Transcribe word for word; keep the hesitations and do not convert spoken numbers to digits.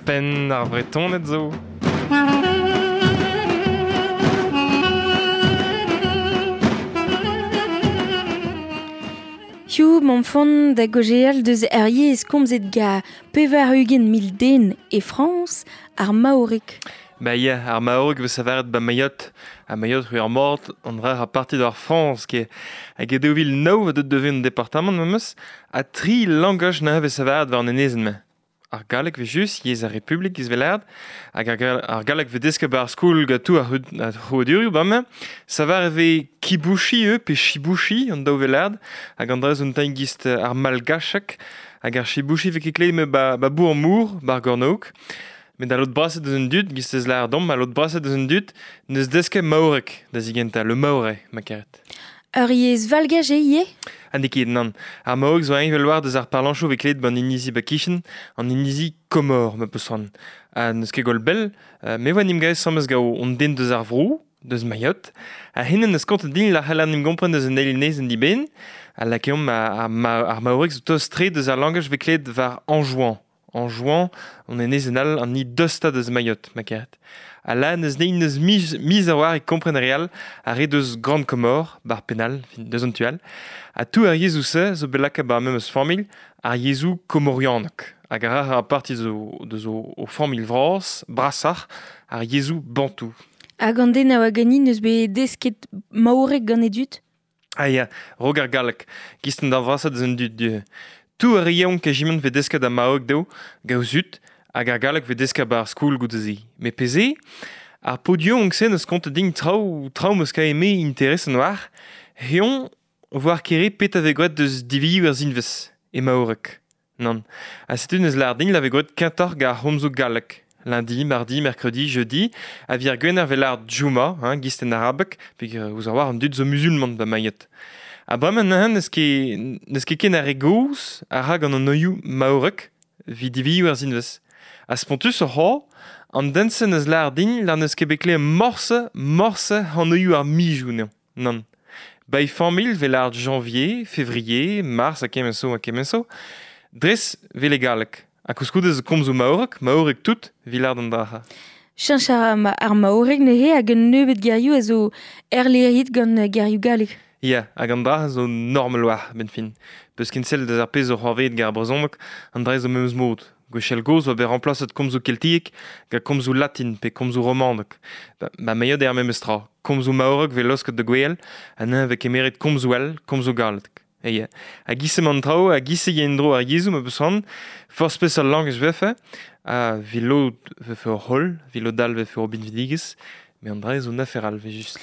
Penn ar Vretoned zo. Hiziv m'am da gojeal deus ar yezh komzet ga pevar ugent mil den e Frañs, ar maoreg. Ba ya, ar maoreg vez savaret ba Mayotte. A Mayotte ru ar mort, an dra a parti d'ar Frañs, ke hag e daou vil nav deut devez un departamant memes, a tri langaj na vez savaret war an enezenn-mañ. Ar galleg vez just, yezh ar Republik iz velard, hag ar, gal- ar galleg vez desket ba ar skol gatou ar ar c'hrouadurioù ba-mañ. Savar e vez kibouchi eo pe chibouchi an daou velard, hag an dra zo un tamm gist ar malgachek, hag ar chibouchi vez ket klevet ba, ba bour mour, ba ar gornaok. Met a lod braset deus un dud, gist ez lar dom, a lod braset deus un dud, neus desket maorek da zigenta, le maore, ma karet. Ur yezh valgaj eo ivez? Ha n'eo ket, nann. Ar maoreg zo eñvel war deus ar parlanchoù vez klevet ban inizi ba kichen, an inizi Komor, ma peus c'hoant. Ha n'eus ket gwall bell, euh, me voa n'im gaez sammes gao on den deus ar vro, deus Mayotte, ha henen eus kontet din la c'heller n'im gompren deus un eil nez en diben, ha lakeomp ar, ar, ma, ar maoreg zo tost-tre deus ar langaj vez klevet war Anjouan. Anjouan, on enez en all an ni dosta deus Mayotte, ma karet. Ha la neus nein neus miz, miz a war e kompren real a re deus Grande Comore, bar penal, fin, deus an tual. Ha tout ar yezhoù se zo bet lakaet bar memes familh, ar yezhoù komorianek. Hag ar ar parti zo, deus o, o familh vras, brasac'h, ar yezhoù bantou. Hag an den a oa ganin neus bet desket maoreg gant e dud? Ah ya, rog ar galleg. Gist an da vrasat deus an dud du. Tout ar yeon kejiment vez desket a maoreg dezho, gaout hag ar galleg vez desket bar skoul goude-se. Met peze, ar podion se neus kontet din traoù, traoù meus ka eme interesant war, heon voar kere pet a vez gwet deus divioù ar zinvez, e maoreg. Nann. Ha setu neus lar din la vez gwet kentoc'h gar homzo galleg. Lundi, mardi, mercredi, jeudi, a vir gwener vez lar djouma, hein, gist en arabek, pe ouz ar war an dud zo musulman ba Mayotte. Ha bremañ neuze n'eus ket, n'eus ket ken ar re gozh a ra gant an oioù maorek evit divioù ar zinvez. Ha spontus oc'h ho, an den-se neus lar din lar n'eus ket bet klevet morse, morse an oioù ar mijoù n'eo. Nann. Ba e familh vez lar janvier, février, mars ha kement zo ha kement zo, dres vez le galleg. Ha koulskoude zo komzoù maorek, maorek tout, evit lar d'an draha. Cheñch ar, ar maoreg neuze hag un nebeud gerioù a zo erleriet gant gerioù galleg. Ya, hag an dra zo normal war, ben fin. Peus ken sell deus ar pezh zo c'hoarvezet gar brezhoneg, an dra zo memes mod. Gwechall gozh oa bet remplaset komzoù keltiek gant komzoù latin pe komzoù romanek. Ba, ba Mayotte eo ar memes tra. Komzoù maorek vez laosket da gwell, ha neuze vez kemeret komzoù all, komzoù galleg. E ya. Hag isse man traoù, hag isse yen dro ar yezhoù ma peus c'hoant, forzh peseurt langaj vefe, ha vi lod vefe ur c'holl, vi lod all vefe ur binvidigezh, met an dra zo un afer all, vez just.